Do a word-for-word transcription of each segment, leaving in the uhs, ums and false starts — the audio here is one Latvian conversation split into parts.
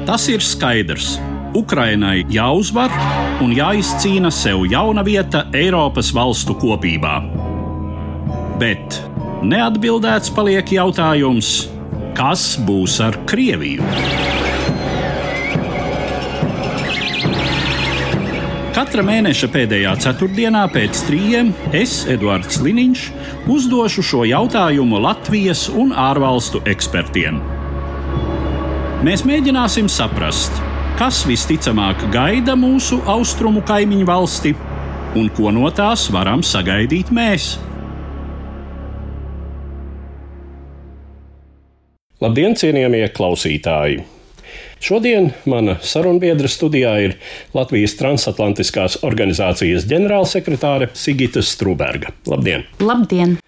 Tas ir skaidrs. Ukrainai jāuzvar un jāizcīna sev jauna vieta Eiropas valstu kopībā. Bet neatbildēts paliek jautājums, kas būs ar Krieviju? Katra mēneša pēdējā ceturtdienā pēc trījiem es, Eduards Liniņš, uzdošu šo jautājumu Latvijas un ārvalstu ekspertiem. Mēs mēģināsim saprast, kas visticamāk gaida mūsu austrumu kaimiņu valsti un ko no tās varam sagaidīt mēs. Labdien, cienījamie klausītāji! Šodien mana sarunbiedra studijā ir Latvijas transatlantiskās organizācijas ģenerālsekretāre Sigita Struberga. Labdien! Labdien!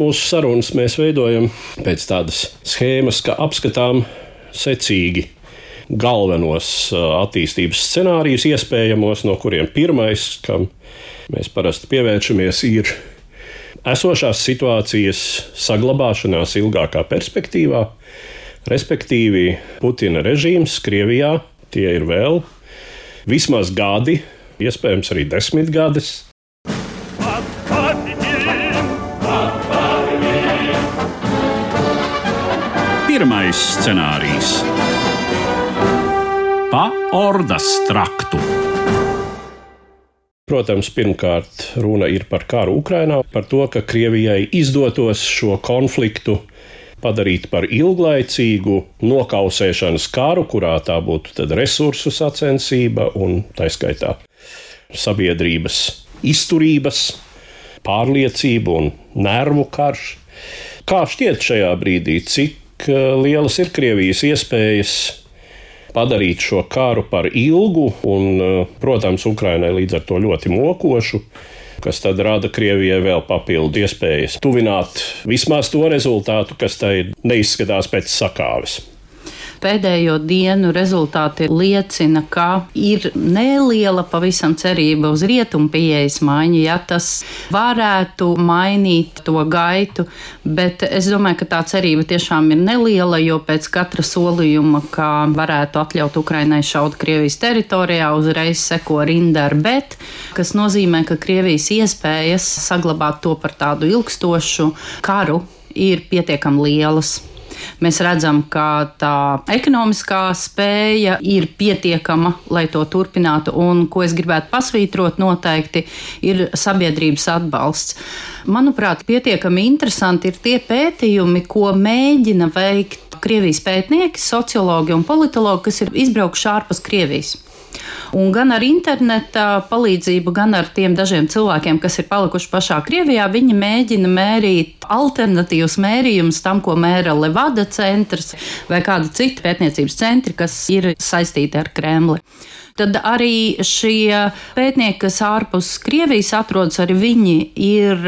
Mūsu sarunas mēs veidojam pēc tādas schēmas, ka apskatām secīgi galvenos attīstības scenārijus iespējamos, no kuriem pirmais, kam mēs parasti pievēršamies, ir esošās situācijas saglabāšanās ilgākā perspektīvā, respektīvi Putina režīms Krievijā, tie ir vēl vismaz gadi, iespējams arī desmit gadus. Pirmais scenārijs. Pa ordas traktu. Protams, pirmkārt runa ir par karu Ukrainā, par to, ka Krievijai izdotos šo konfliktu padarīt par ilglaicīgu nokausēšanas karu, kurā tā būtu tad resursu sacensība un taiskaitā sabiedrības izturības, pārliecība un nervu karš. Kā šķiet šajā brīdī, cik lielas ir Krievijas iespējas padarīt šo karu par ilgu un, protams, Ukrainai līdz ar to ļoti mokošu, kas tad rada Krievijai vēl papildu iespējas tuvināt vismaz to rezultātu, kas tai neizskatās pēc sakāves. Pēdējo dienu rezultāti liecina, ka ir neliela pavisam cerība uz rietumu pieejas maiņu, ja tas varētu mainīt to gaitu, bet es domāju, ka tā cerība tiešām ir neliela, jo pēc katra solījuma, ka varētu atļaut Ukrainai šaut Krievijas teritorijā, uzreiz seko rinda ar bet, kas nozīmē, ka Krievijas iespējas saglabāt to par tādu ilgstošu karu ir pietiekami lielas. Mēs redzam, ka tā ekonomiskā spēja ir pietiekama, lai to turpinātu, un, ko es gribētu pasvītrot noteikti, ir sabiedrības atbalsts. Manuprāt, pietiekami interesanti ir tie pētījumi, ko mēģina veikt Krievijas pētnieki, sociologi un politologi, kas ir izbraukuši ārpus Krievijas. Un gan ar interneta palīdzību, gan ar tiem dažiem cilvēkiem, kas ir palikuši pašā Krievijā, viņi mēģina mērīt alternatīvus mērījumus tam, ko mēra Levada centrs vai kāda cita pētniecības centri, kas ir saistīti ar Kremli. Tad arī šie pētnieki, kas ārpus Krievijas atrodas, arī viņi ir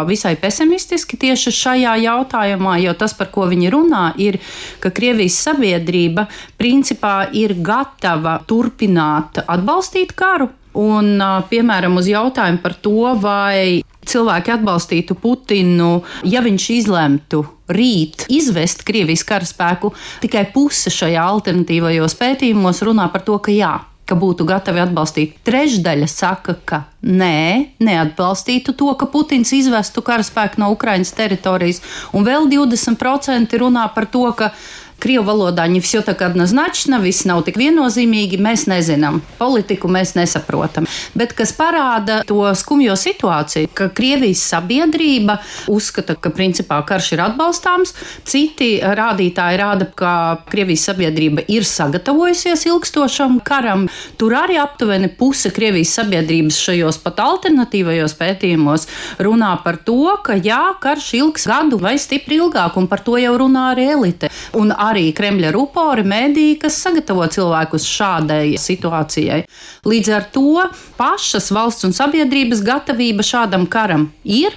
visai pesimistiski tieši šajā jautājumā, jo tas, par ko viņi runā, ir, ka Krievijas sabiedrība principā ir gatava turpināt atbalstīt karu. Un, piemēram, uz jautājumu par to, vai cilvēki atbalstītu Putinu, ja viņš izlemtu rīt izvest Krievijas karaspēku, tikai puse šajā alternatīvajos pētījumos runā par to, ka jā, ka būtu gatavi atbalstīt. Trešdaļa saka, ka nē, neatbalstītu to, ka Putins izvestu karaspēku no Ukrainas teritorijas, un vēl divdesmit procenti runā par to, ka Krievu valodā не всё так однозначно, viss nav tik viennozīmīgi, mēs nezinām, politiku mēs nesaprotam. Bet kas parāda to skumjo situāciju, ka Krievijas sabiedrība uzskata, ka principā karš ir atbalstāms, citi rādītāji rāda, ka Krievijas sabiedrība ir sagatavojusies ilgstošam karam. Tur arī aptuveni puse Krievijas sabiedrības šajos pat alternatīvajos pētījumos runā par to, ka jā, karš ilgs gadu vai stipri ilgāk, un par to jau runā arī elite. Un arī Kremļa rupori, mēdīji, kas sagatavo cilvēkus šādai situācijai. Līdz ar to pašas valsts un sabiedrības gatavība šādam karam ir.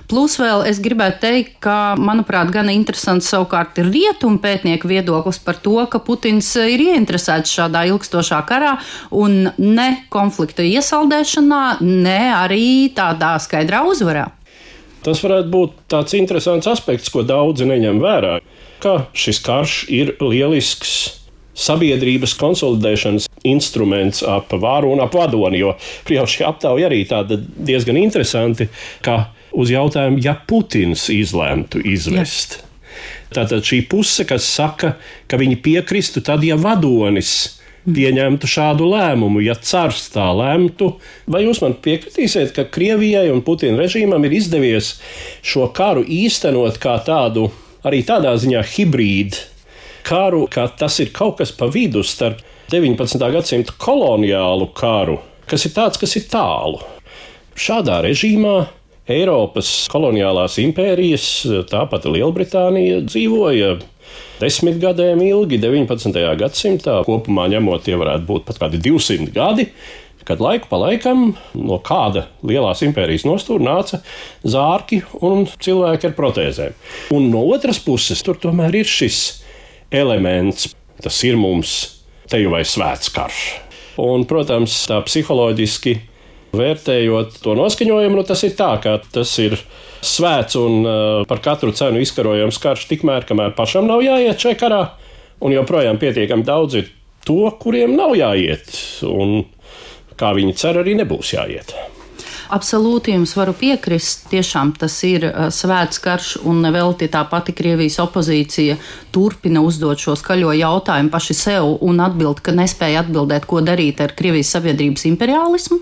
Plus vēl es gribētu teikt, ka, manuprāt, gan interesants savukārt ir rietumu pētnieku viedoklis par to, ka Putins ir ieinteresēts šādā ilgstošā karā un ne konflikta iesaldēšanā, ne arī tādā skaidrā uzvarā. Tas varētu būt tāds interesants aspekts, ko daudzi neņem vērā, ka šis karš ir lielisks sabiedrības konsolidēšanas instruments ap varu un ap vadoni, jo jau šī aptauja arī tāda diezgan interesanti, ka uz jautājumu, ja Putins izlemtu izvest. Jā. Tātad šī puse, kas saka, ka viņi piekristu tad, ja vadonis pieņemtu šādu lēmumu, ja cars tā lemtu. Vai jūs man piekritīsiet, ka Krievijai un Putina režīmam ir izdevies šo karu īstenot kā tādu, arī tādā ziņā hibrīdu karu, ka tas ir kaut kas pa vidu starp deviņpadsmitā gadsimta koloniālu karu, kas ir tāds, kas ir tālu. Šādā režīmā Eiropas koloniālās impērijas, tāpat Lielbritānija, dzīvoja desmit gadiem ilgi, deviņpadsmitajā gadsimtā. Kopumā ņemot, tie varētu būt pat kādi divsimt gadi, kad laiku pa laikam no kāda lielās impērijas nostūra nāca zārki un cilvēki ar protēzēm. Un no otras puses, tur tomēr ir šis elements, tas ir mums te jau vai svēts karš. Un, protams, tā psiholoģiski vērtējot to noskaņojumu, nu tas ir tā, ka tas ir svēts un uh, par katru cenu izkarojams karš tikmēr, kamēr pašam nav jāiet šajā karā, un joprojām pietiekami daudz ir to, kuriem nav jāiet, un kā viņi cer, arī nebūs jāiet. Absolūti jums varu piekrist. Tiešām tas ir svēts karš, un nevelti tā pati Krievijas opozīcija turpina uzdot šo skaļo jautājumu paši sev un atbild, ka nespēja atbildēt, ko darīt ar Krievijas sabiedrības imperialismu.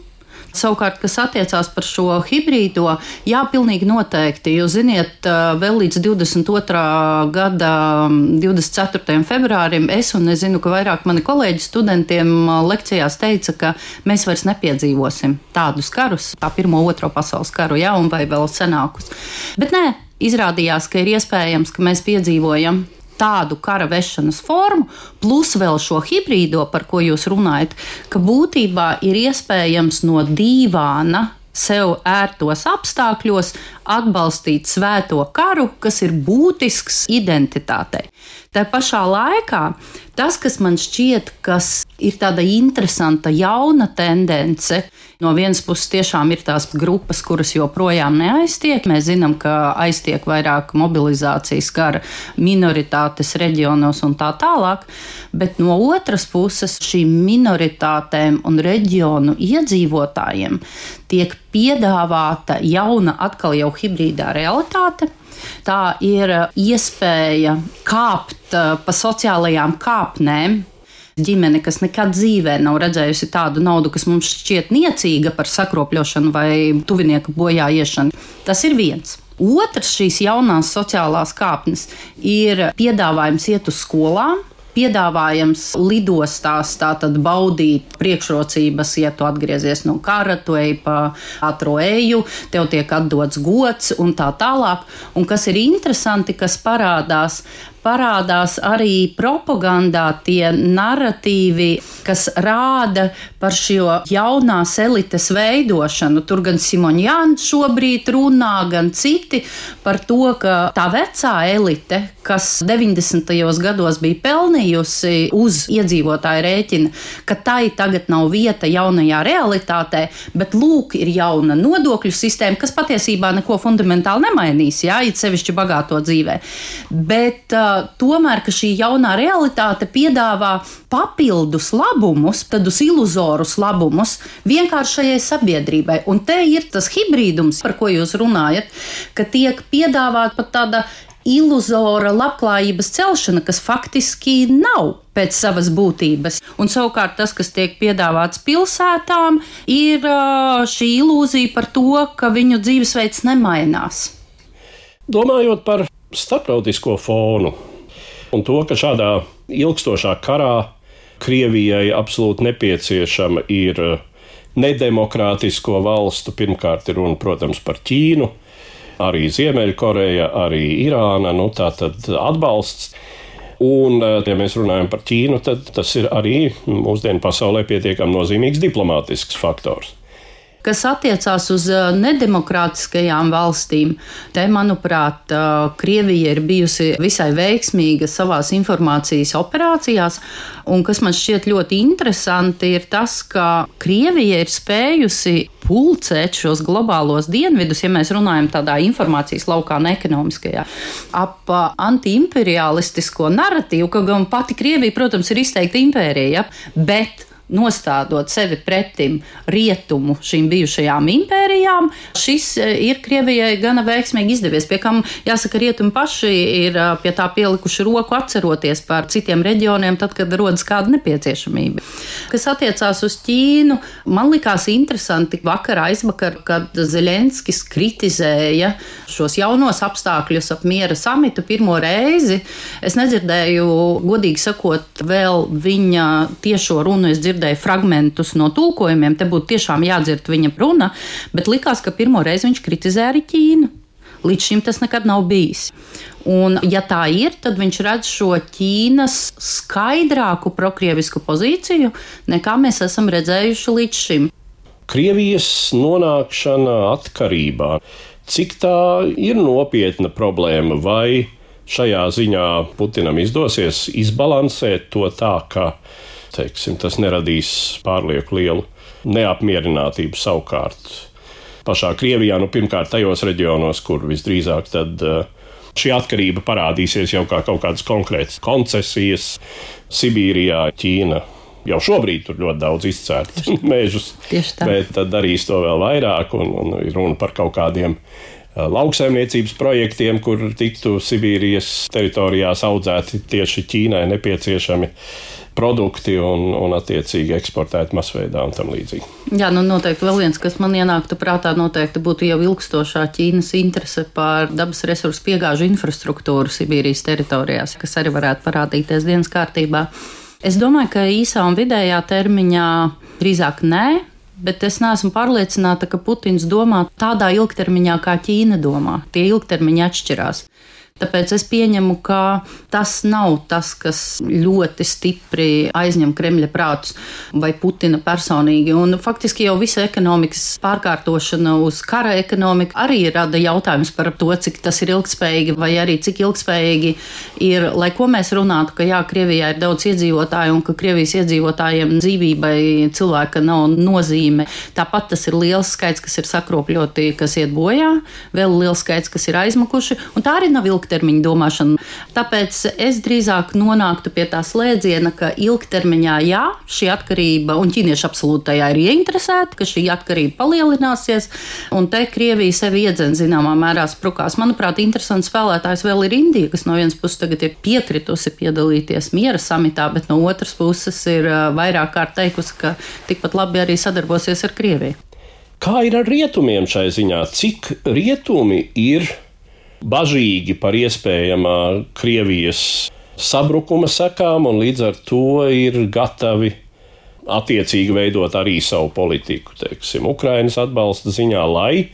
Savukārt, kas attiecās par šo hibrīdo, jā, pilnīgi noteikti. Jūs ziniet, vēl līdz divdesmit otrā gada divdesmit ceturtajam februārim es un es zinu, ka vairāk mani kolēģi studentiem lekcijās teica, ka mēs vairs nepiedzīvosim tādus karus, tā pirmo, otro pasaules karu, jā, un vai vēl senākus. Bet nē, izrādījās, ka ir iespējams, ka mēs piedzīvojam tādu kara vešanas formu, plus vēl šo hibrīdo, par ko jūs runājat, ka būtībā ir iespējams no dīvāna sev ērtos apstākļos atbalstīt svēto karu, kas ir būtisks identitātei. Tā pašā laikā tas, kas man šķiet, kas ir tāda interesanta jauna tendence, no vienas puses tiešām ir tās grupas, kuras joprojām neaiztiek. Mēs zinām, ka aiztiek vairāk mobilizācijas kara minoritātes reģionos un tā tālāk, bet no otras puses šīm minoritātēm un reģionu iedzīvotājiem tiek piedāvāta jauna atkal jau hibrīdā realitāte. Tā ir iespēja kāpt pa sociālajām kāpnēm. Ģimene, kas nekad dzīvē nav redzējusi tādu naudu, kas mums šķiet niecīga par sakropļošanu vai tuvinieka bojā iešanu. Tas ir viens. Otrs šīs jaunās sociālās kāpnes ir piedāvājums iet uz skolām. Piedāvājams lidostās tātad baudīt priekšrocības, ja tu atgriezies no kara, tu ej pa ātro eju, tev tiek atdots gods un tā tālāk. Un kas ir interesanti, kas parādās, parādās arī propagandā tie narratīvi, kas rāda par šo jaunās elites veidošanu. Tur gan Simoņjans šobrīd runā, gan citi par to, ka tā vecā elite, kas deviņdesmitajos gados bija pelnījusi uz iedzīvotāju rēķina, ka tai tagad nav vieta jaunajā realitātē, bet lūk, ir jauna nodokļu sistēma, kas patiesībā neko fundamentāli nemainīs, jā, it sevišķi bagāto dzīvē. Bet uh, tomēr, ka šī jaunā realitāte piedāvā papildus labumus, tādus iluzorus labumus vienkāršajai sabiedrībai. Un te ir tas hibrīdums, par ko jūs runājat, ka tiek piedāvāt pat tāda iluzora labklājības celšana, kas faktiski nav pēc savas būtības. Un savukārt tas, kas tiek piedāvāts pilsētām, ir šī ilūzija par to, ka viņu dzīvesveids nemainās. Domājot par starptautisko fonu un to, ka šādā ilgstošā karā Krievijai absolūti nepieciešama ir nedemokrātisko valstu, pirmkārt ir runa, protams, par Ķīnu, arī Ziemeļkoreja, arī Irāna, nu tā tad atbalsts. Un, ja mēs runājam par Ķīnu, tad tas ir arī mūsdienu pasaulē pietiekami nozīmīgs diplomātisks faktors. Kas attiecās uz nedemokrātiskajām valstīm, te, manuprāt, Krievija ir bijusi visai veiksmīga savās informācijas operācijās, un kas man šķiet ļoti interesanti ir tas, ka Krievija ir spējusi pulcēt šos globālos dienvidus, ja mēs runājam tādā informācijas laukā, ne ekonomiskajā, ap antiimperialistisko narratīvu, ka gan pati Krievija, protams, ir izteikta impērija, bet nostādot sevi pretim rietumu šīm bijušajām impērijām, šis ir Krievijai gana veiksmīgi izdevies, pie kam, jāsaka, rietumi paši ir pie tā pielikuši roku atceroties par citiem reģioniem, tad, kad rodas kāda nepieciešamība. Kas attiecās uz Ķīnu, man likās interesanti vakar aizvakar, kad Zeļenskis kritizēja šos jaunos apstākļus ap miera samitu pirmo reizi. Es nedzirdēju, godīgi sakot, vēl viņa tiešo runu, es dzirdēju fragmentus no tulkojumiem, te būtu tiešām jādzird viņa runa, bet likās, ka pirmo reizi viņš kritizē arī Ķīnu. Līdz šim tas nekad nav bijis. Un, ja tā ir, tad viņš redz šo Ķīnas skaidrāku prokrievisku pozīciju, nekā mēs esam redzējuši līdz šim. Krievijas nonākšana atkarībā, cik tā ir nopietna problēma, vai šajā ziņā Putinam izdosies izbalansēt to tā, ka teiksim, tas neradīs pārlieku lielu neapmierinātību savukārt pašā Krievijā, nu pirmkārt tajos reģionos, kur visdrīzāk tad šī atkarība parādīsies jau kā kaut kādas konkrētas koncesijas. Sibīrijā Ķīna jau šobrīd tur ļoti daudz izcērt mežus, bet tad darīs to vēl vairāk un, un ir runa par kaut kādiem lauksaimniecības projektiem, kur tiktu Sibīrijas teritorijās audzēti tieši Ķīnai nepieciešami produkti un, un attiecīgi eksportēt masveidā un tam līdzīgi. Jā, nu noteikti vēl viens, kas man ienāktu prātā, noteikti būtu jau ilgstošā Ķīnas interese par dabas resursu piegāžu infrastruktūru Sibīrijas teritorijās, kas arī varētu parādīties dienas kārtībā. Es domāju, ka īsā un vidējā termiņā drīzāk nē, bet es neesmu pārliecināta, ka Putins domā tādā ilgtermiņā, kā Ķīna domā. Tie ilgtermiņi atšķirās. Tāpēc es pieņemu, ka tas nav tas, kas ļoti stipri aizņem Kremļa prātus vai Putina personīgi. Un faktiski jau visa ekonomikas pārkārtošana uz kara ekonomiku arī rada jautājums par to, cik tas ir ilgspējīgi vai arī cik ilgspējīgi ir, lai ko mēs runātu, ka jā, Krievijā ir daudz iedzīvotāju un ka Krievijas iedzīvotājiem dzīvībai cilvēka nav nozīme. Tāpat tas ir liels skaits, kas ir sakropļoti, kas iet bojā, vēl liels skaits, kas ir aizmukuši, un tā arī nav ilgtermiņa domāšana. Tāpēc es drīzāk nonāktu pie tā slēdziena, ka ilgtermiņā jā, šī atkarība, un ķīnieši absolūti tajā ir ieinteresēti, ka šī atkarība palielināsies, un te Krievija sevi iedzen zināmā mērā sprukās. Manuprāt, interesants spēlētājs vēl ir Indija, kas no vienas puses tagad ir piekritusi piedalīties miera samitā, bet no otras puses ir vairāk kārt teikusi, ka tikpat labi arī sadarbosies ar Krieviju. Kā ir ar rietumiem šai ziņā? Cik rietumi ir bažīgi par iespējamā Krievijas sabrukuma sekām un līdz ar to ir gatavi attiecīgi veidot arī savu politiku, teiksim, Ukrainas atbalsta ziņā, lai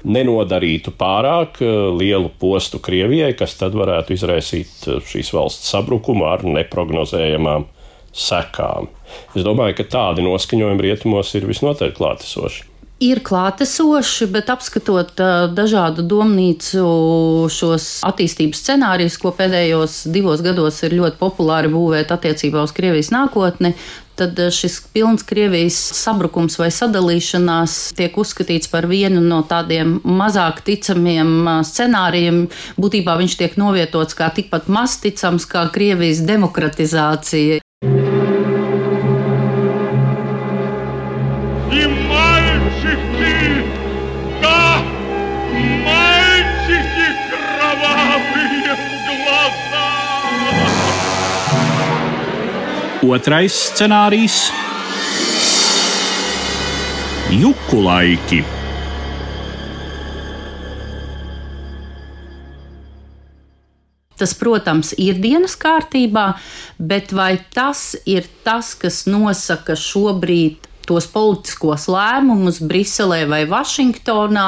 nenodarītu pārāk lielu postu Krievijai, kas tad varētu izraisīt šīs valsts sabrukumu ar neprognozējamām sekām. Es domāju, ka tādi noskaņojumi rietumos ir visnotaļ klātesoši. Ir klātesoši, bet apskatot uh, dažādu domnīcu šos attīstības scenārijus, ko pēdējos divos gados ir ļoti populāri būvēt attiecībā uz Krievijas nākotni, tad šis pilns Krievijas sabrukums vai sadalīšanās tiek uzskatīts par vienu no tādiem mazāk ticamiem scenārijiem. Būtībā viņš tiek novietots kā tikpat maz ticams kā Krievijas demokratizācija. Otrais scenārijs – juku laiki. Tas, protams, ir dienas kārtībā, bet vai tas ir tas, kas nosaka šobrīd tos politiskos lēmumus Briselē vai Vašingtonā.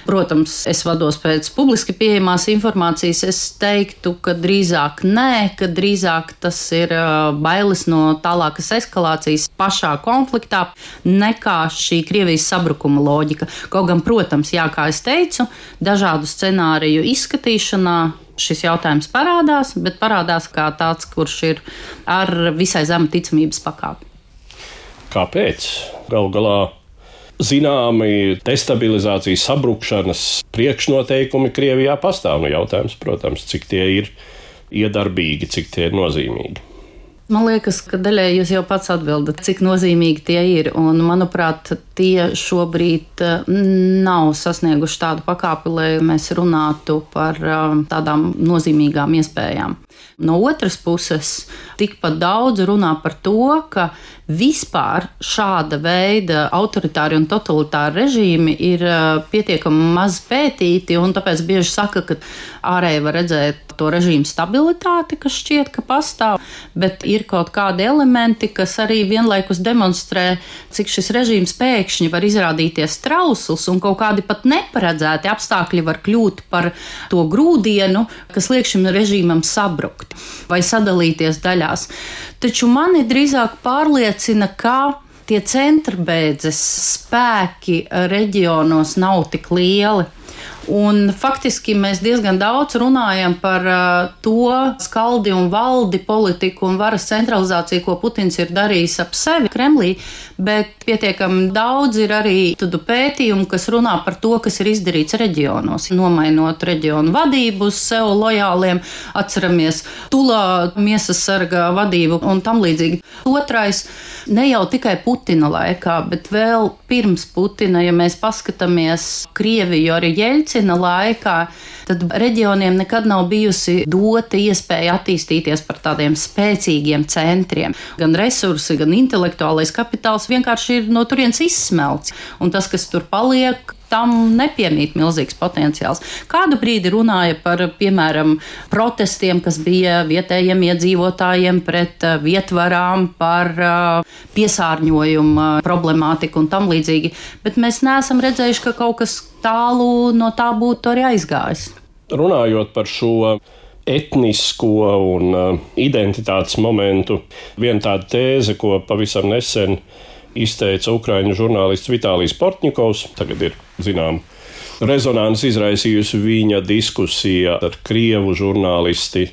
Protams, es vados pēc publiski pieejamās informācijas. Es teiktu, ka drīzāk nē, ka drīzāk tas ir bailes no tālākas eskalācijas pašā konfliktā nekā šī Krievijas sabrukuma loģika. Kaut gan, protams, jā, kā es teicu, dažādu scenāriju izskatīšanā šis jautājums parādās, bet parādās kā tāds, kurš ir ar visai zemu ticamības pakāpi. Kāpēc? Galu galā zināmi destabilizācijas, sabrukšanas priekšnoteikumi Krievijā pastāv. Nu, jautājums, protams, cik tie ir iedarbīgi, cik tie ir nozīmīgi. Man liekas, ka daļai jūs jau pats atbildat, cik nozīmīgi tie ir. Un, manuprāt, tie šobrīd nav sasnieguši tādu pakāpi, lai mēs runātu par tādām nozīmīgām iespējām. No otras puses, tikpat daudz runā par to, ka vispār šāda veida autoritāri un totalitāri režīmi ir pietiekami maz pētīti, un tāpēc bieži saka, ka ārēji var redzēt to režīmu stabilitāti, kas šķiet, ka pastāv, bet ir kaut kādi elementi, kas arī vienlaikus demonstrē, cik šis režīms pēkšņi var izrādīties trausls, un kaut kādi pat neparedzēti apstākļi var kļūt par to grūdienu, kas liek šim režīmam sabrukt vai sadalīties daļās. Taču mani drīzāk pārliecina, ka tie centrbeidzes spēki reģionos nav tik lieli. Un faktiski mēs diezgan daudz runājam par uh, to skaldi un valdi politiku un varas centralizāciju, ko Putins ir darījis ap sevi Kremlī, bet pietiekami daudz ir arī tādu pētījumu, kas runā par to, kas ir izdarīts reģionos. Nomainot reģionu vadību uz sev lojāliem, atceramies Tulā miesas sarga vadību un tam līdzīgi. Otrais, ne jau tikai Putina laikā, bet vēl pirms Putina, ja mēs paskatāmies Krieviju arī Jeļcina laikā, tad reģioniem nekad nav bijusi dota iespēja attīstīties par tādiem spēcīgiem centriem. Gan resursi, gan intelektuālais kapitāls vienkārši ir no turienes izsmelts. Un tas, kas tur paliek, tam nepiemīt milzīgs potenciāls. Kādu brīdi runāja par, piemēram, protestiem, kas bija vietējiem iedzīvotājiem pret vietvarām, par piesārņojumu problemātiku un tam līdzīgi, bet mēs neesam redzējuši, ka kaut kas tālu no tā būtu arī aizgājis. Runājot par šo etnisko un identitātes momentu, viena tāda tēze, ko pavisam nesen izteica ukraiņu žurnālists Vitālijs Portņikovs, tagad ir, zinām, rezonanci izraisījusi viņa diskusija ar krievu žurnālisti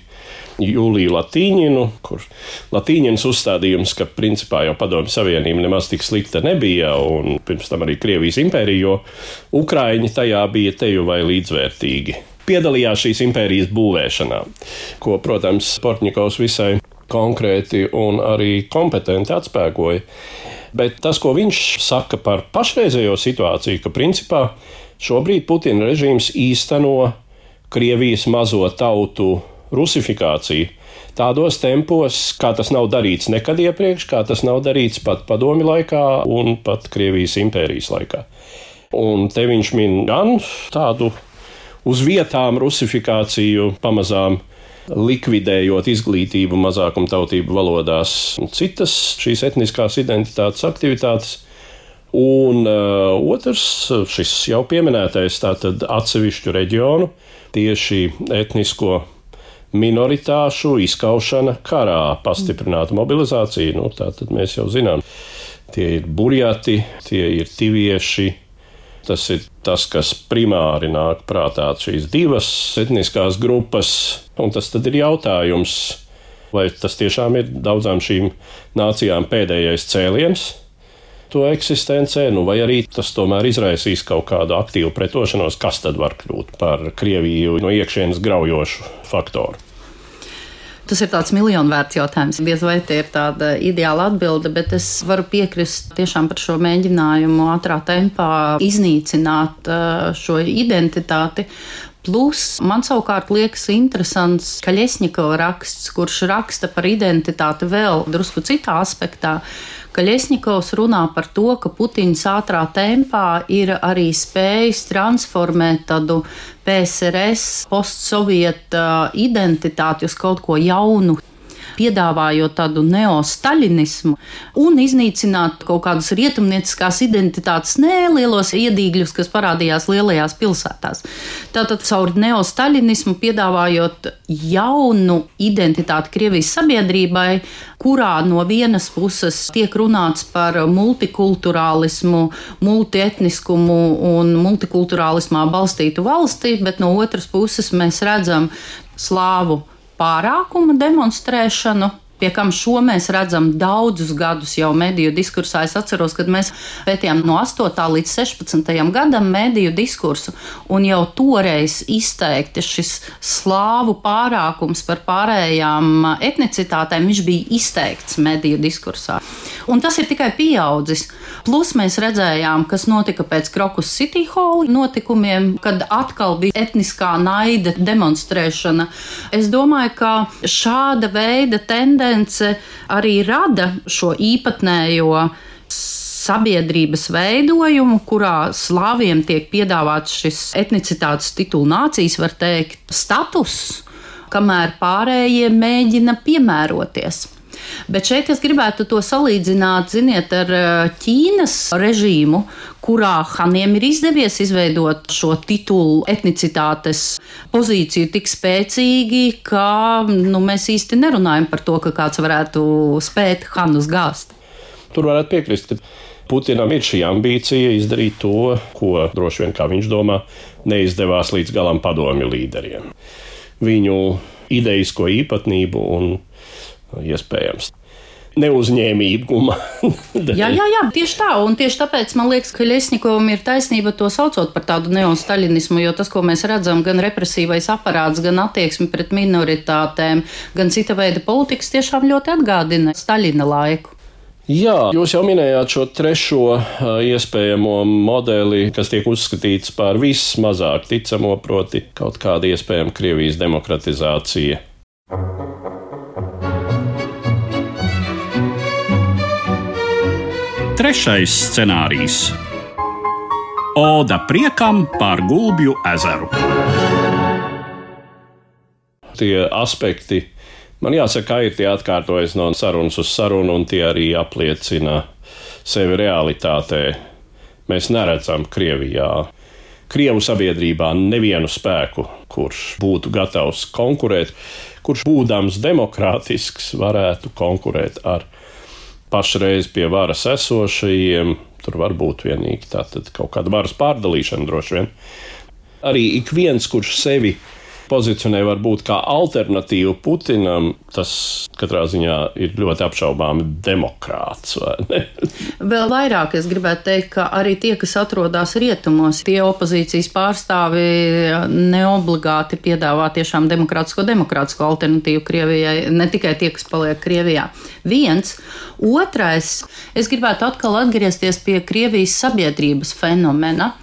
Juliju Latīņinu, kur Latīņins uzstādījums, ka principā jau Padomju Savienība nemaz tik slikta nebija, un pirms tam arī Krievijas impērija, jo ukraiņi tajā bija teju vai līdzvērtīgi. Piedalījās šīs impērijas būvēšanā, ko, protams, Portņikovs visai konkrēti un arī kompetenti atspēkoja. Bet tas, ko viņš saka par pašreizējo situāciju, ka principā šobrīd Putina režīms īsteno Krievijas mazo tautu rusifikāciju tādos tempos, kā tas nav darīts nekad iepriekš, kā tas nav darīts pat Padomju laikā un pat Krievijas impērijas laikā. Un te viņš min gan tādu uz vietām rusifikāciju pamazām likvidējot izglītību mazākumtautību valodās un citas šīs etniskās identitātes aktivitātes. Un uh, otrs, šis jau pieminētais tātad atsevišķu reģionu, tieši etnisko minoritāšu izskaušana karā, pastiprināta mobilizācija. Nu, tātad mēs jau zinām, tie ir burjati, tie ir tivieši. Tas ir tas, kas primāri nāk prātā šīs divas etniskās grupas, un tas tad ir jautājums, vai tas tiešām ir daudzām šīm nācijām pēdējais cēliens to eksistencē, nu vai arī tas tomēr izraisīs kaut kādu aktīvu pretošanos, kas tad var kļūt par Krieviju no iekšienes graujošu faktoru. Tas ir tāds miljonvērts jautājums. Diez vai tie ir tāda ideāla atbilde, bet es varu piekrist tiešām par šo mēģinājumu ātrā tempā iznīcināt šo identitāti. Plus, man savukārt liekas interesants Kaļesņikova raksts, kurš raksta par identitāti vēl drusku citā aspektā. Kaļesņikovs runā par to, ka Putins ātrā tempā ir arī spējis transformēt tādu P S R S postsovieta identitāti uz kaut ko jaunu. piedāvājot tādu neostaļinismu un iznīcināt kaut kādas rietumnieciskās identitātes nelielos iedīgļus, kas parādījās lielajās pilsētās. Tātad caur neostaļinismu piedāvājot jaunu identitāti Krievijas sabiedrībai, kurā no vienas puses tiek runāts par multikulturālismu, multietniskumu un multikulturālismā balstītu valsti, bet no otras puses mēs redzam slāvu pārākuma demonstrēšanu, pie kam šo mēs redzam daudzus gadus jau mediju diskursā. Es atceros, kad mēs pētījām no astotā līdz sešpadsmitajam gadam mediju diskursu, un jau toreiz izteikti šis slāvu pārākums par pārējām etnicitātēm, viņš bija izteikts mediju diskursā. Un tas ir tikai pieaudzis. Plus mēs redzējām, kas notika pēc Krokus City Hall notikumiem, kad atkal bija etniskā naida demonstrēšana. Es domāju, ka šāda veida tendence arī rada šo īpatnējo sabiedrības veidojumu, kurā slāviem tiek piedāvāts šis etnicitātes titulu nācijas, var teikt, status, kamēr pārējie mēģina piemēroties. Bet šeit es gribētu to salīdzināt, ziniet, ar Ķīnas režīmu, kurā Haniem ir izdevies izveidot šo titulu etnicitātes pozīciju tik spēcīgi, ka nu, mēs īsti nerunājam par to, ka kāds varētu spēt Hanus gāzt. Tur varētu piekrist, ka Putinam ir šī ambīcija izdarīt to, ko droši vien, kā viņš domā, neizdevās līdz galam padomju līderiem. Viņu idejisko īpatnību un iespējams neuzņēmīguma. jā, jā, jā, tieši tā, un tieši tāpēc man liekas, ka Ļesņikovam ir taisnība to saucot par tādu neostaļinismu, jo tas, ko mēs redzam, gan represīvais aparāts, gan attieksmi pret minoritātēm, gan cita veida politikas tiešām ļoti atgādina Staļina laiku. Jā, jūs jau minējāt šo trešo iespējamo modeli, kas tiek uzskatīts par vismazāk ticamo, proti kaut kāda iespējama Krievijas demokratizācija. Trešais scenārijs – Oda priekam par Gulbju ezeru. Tie aspekti, man jāsaka, ir tie atkārtojas no sarunas uz sarunu, un tie arī apliecina sevi realitātē. Mēs neredzam Krievijā, Krievu sabiedrībā nevienu spēku, kurš būtu gatavs konkurēt, kurš būdams demokrātisks varētu konkurēt ar pašreiz pie varas esošajiem. Tur var būt vienīgi tātad kaut kāda varas pārdalīšana droši vien. Arī ik viens, kurš sevi pozicionē varbūt kā alternatīvu Putinam, tas katrā ziņā ir ļoti apšaubāmi demokrāts, vai ne? Vēl vairāk es gribētu teikt, ka arī tie, kas atrodas rietumos, tie opozīcijas pārstāvi neobligāti piedāvā tiešām demokrātisko demokrātisko alternatīvu Krievijai, ne tikai tie, kas paliek Krievijā. Viens. Otrais, es gribētu atkal atgriezties pie Krievijas sabiedrības fenomena,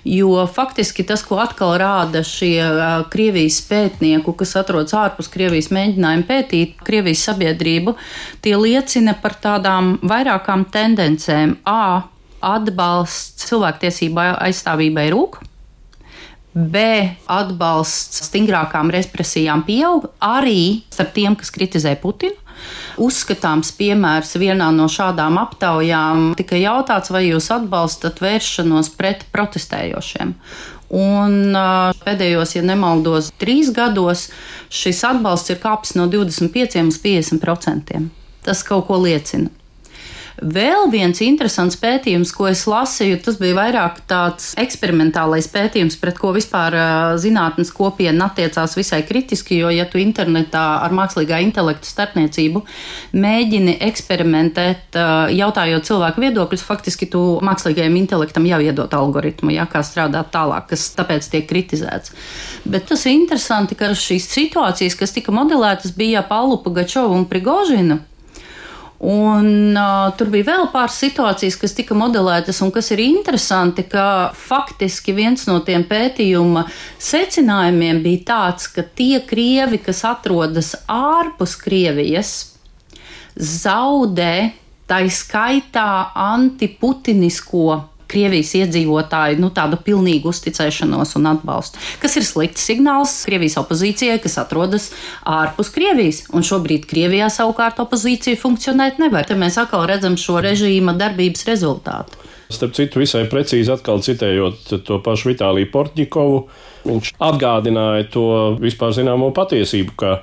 jo faktiski tas, ko atkal rāda šie Krievijas pētnieku, kas atrodas ārpus Krievijas mēģinājumi pētīt Krievijas sabiedrību, tie liecina par tādām vairākām tendencēm. A. Atbalsts cilvēktiesību aizstāvībai rūk. B. Atbalsts stingrākām represijām pieaug, arī starp tiem, kas kritizē Putinu. Uzskatāms piemērs vienā no šādām aptaujām tika jautāts, vai jūs atbalstat vēršanos pret protestējošiem. Un pēdējos, ja nemaldos, trīs gados šis atbalsts ir kāpis no divdesmit pieciem uz piecdesmit procentiem. Tas kaut ko liecina. Vēl viens interesants pētījums, ko es lasīju, tas bija vairāk tāds eksperimentālais pētījums, pret ko vispār zinātnes kopiena attiecās visai kritiski, jo, ja tu internetā ar mākslīgā intelekta starpniecību mēģini eksperimentēt, jautājot cilvēku viedokļus, faktiski tu mākslīgajam intelektam jau iedot algoritmu, ja, kā strādāt tālāk, kas tāpēc tiek kritizēts. Bet tas ir interesanti, ka šīs situācijas, kas tika modelētas, bija ap Allu Pugačovu un Prigožinu. Un uh, tur bija vēl pāris situācijas, kas tika modelētas, un kas ir interesanti, ka faktiski viens no tiem pētījuma secinājumiem bija tāds, ka tie krievi, kas atrodas ārpus Krievijas, zaudē tai skaitā antiputinisko Krievijas iedzīvotāju nu, tādu pilnīgu uzticēšanos un atbalstu. Kas ir slikts signāls Krievijas opozīcijai, kas atrodas ārpus Krievijas, un šobrīd Krievijā savukārt opozīcija funkcionēt nevar. Te mēs atkal redzam šo režīma darbības rezultātu. Starp citu, visai precīzi atkal citējot to pašu Vitāliju Portņikovu, viņš atgādināja to vispār zināmo patiesību, ka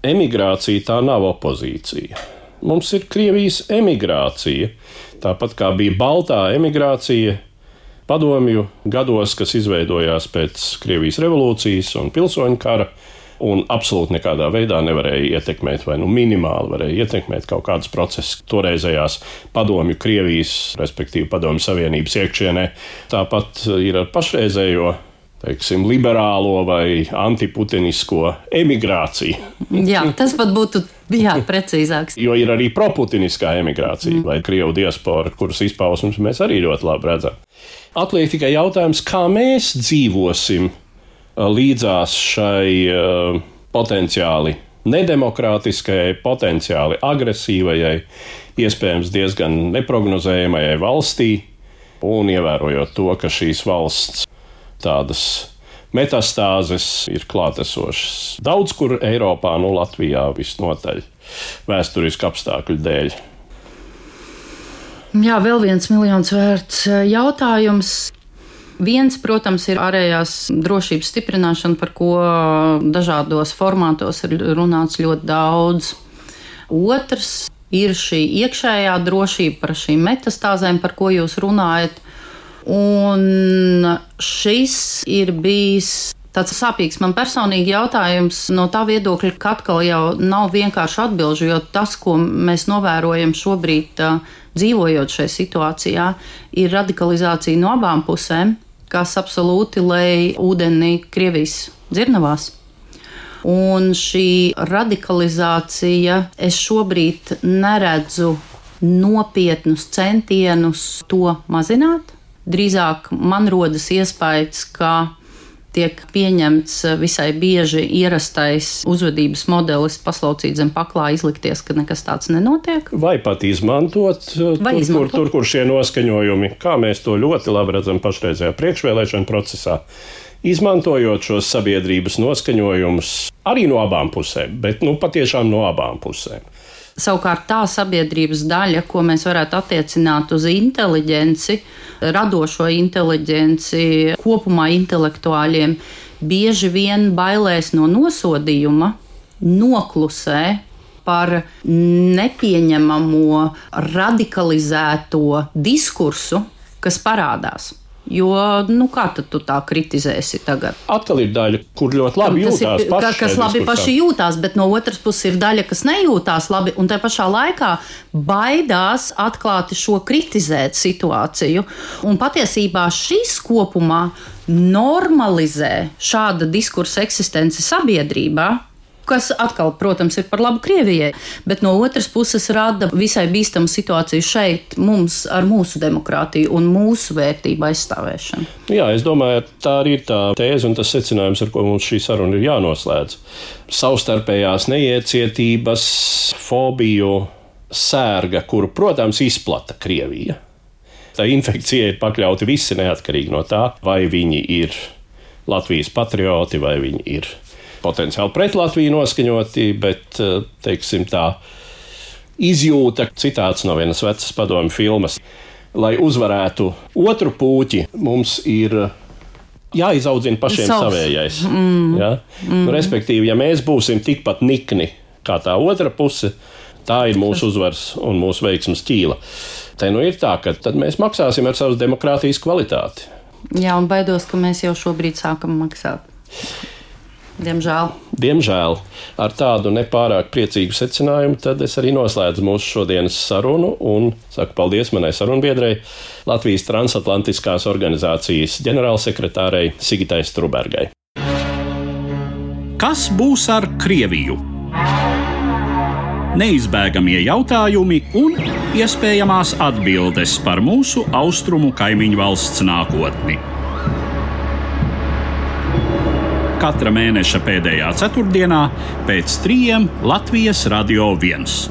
emigrācija tā nav opozīcija. Mums ir Krievijas emigrācija, tāpat kā bija Baltā emigrācija padomju gados, kas izveidojās pēc Krievijas revolūcijas un pilsoņu kara, un absolūti nekādā veidā nevarēja ietekmēt, vai nu minimāli varēja ietekmēt kaut kādus procesus toreizējās padomju Krievijas, respektīvi padomju Savienības iekšienē. Tāpat ir ar pašreizējo, teiksim, liberālo vai antiputinisko emigrāciju. Jā, tas pat būtu jā, precīzāks. Jo ir arī proputiniskā emigrācija, mm. vai Krievu diaspora, kuras izpausmes mēs arī ļoti labi redzam. Atliek tikai jautājums, kā mēs dzīvosim līdzās šai uh, potenciāli nedemokrātiskajai, potenciāli agresīvajai, iespējams diezgan neprognozējamajai valstī, un ievērojot to, ka šīs valsts tādas metastāzes ir klātesošas daudz kur Eiropā, nu Latvijā visnotaļ vēsturisku apstākļu dēļ. Jā, vēl viens miljons vērts jautājums. Viens, protams, ir ārējās drošības stiprināšana, par ko dažādos formātos ir runāts ļoti daudz. Otrs ir šī iekšējā drošība par šīm metastāzēm, par ko jūs runājat. Un šis ir bijis tāds sāpīgs man personīgi jautājums no tā viedokļa, ka atkal jau nav vienkārši atbilžu, jo tas, ko mēs novērojam šobrīd dzīvojot šajā situācijā, ir radikalizācija no abām pusēm, kas absolūti lej ūdeni Krievijas dzirnavās. Un šī radikalizācija, es šobrīd neredzu nopietnus centienus to mazināt. Drīzāk man rodas iespējas, ka tiek pieņemts visai bieži ierastais uzvedības modelis paslaucīt zem paklā, izlikties, ka nekas tāds nenotiek. Vai pat izmantot, Vai tur, izmantot. Kur, tur, kur šie noskaņojumi, kā mēs to ļoti labi redzam pašreizējā priekšvēlēšana procesā, izmantojot šos sabiedrības noskaņojumus arī no abām pusēm, bet nu patiešām no abām pusēm. Savukārt tā sabiedrības daļa, ko mēs varētu attiecināt uz inteliģenci, radošo inteliģenci, kopumā intelektuāļiem, bieži vien bailēs no nosodījuma, noklusē par nepieņemamo radikalizēto diskursu, kas parādās. Jo, nu, kā tad tu tā kritizēsi tagad? Atkal ir daļa, kur ļoti labi Tas jūtās ir, paši. Kas labi paši jūtās, bet no otras puses ir daļa, kas nejūtās labi, un tajā pašā laikā baidās atklāti šo kritizēt situāciju. Un patiesībā šis kopumā normalizē šāda diskursa eksistenci sabiedrībā, kas atkal, protams, ir par labu Krievijai, bet no otras puses rada visai bīstamu situāciju šeit mums ar mūsu demokrātiju un mūsu vērtību aizstāvēšanu. Jā, es domāju, tā arī ir tā tēze un tas secinājums, ar ko mums šī saruna ir jānoslēdz. Savstarpējās neiecietības, fobiju, sērga, kuru, protams, izplata Krievija. Tā infekcija ir pakļauti visi neatkarīgi no tā, vai viņi ir Latvijas patrioti, vai viņi ir potenciāli pret Latviju noskaņoti, bet, teiksim tā, izjūta citāts no vienas vecas padomju filmas. Lai uzvarētu otru puķi, mums ir jāizaudzina pašiem Savs. savējais. Mm. Ja? Mm. Respektīvi, ja mēs būsim tikpat nikni kā tā otra puse, tā ir mūsu uzvaras un mūsu veiksmes ķīla. Te nu ir tā, ka tad mēs maksāsim ar savas demokrātijas kvalitāti. Jā, un baidos, ka mēs jau šobrīd sākam maksāt. Diemžēl. Diemžēl. Ar tādu nepārāk priecīgu secinājumu tad es arī noslēdzu mūsu šodienas sarunu un saku paldies manai sarunbiedrei, Latvijas transatlantiskās organizācijas ģenerālsekretārei Sigitai Strubergai. Kas būs ar Krieviju? Neizbēgamie jautājumi un iespējamās atbildes par mūsu austrumu kaimiņu valsts nākotni. Katra mēneša pēdējā ceturtdienā pēc trījiem Latvijas Radio viens.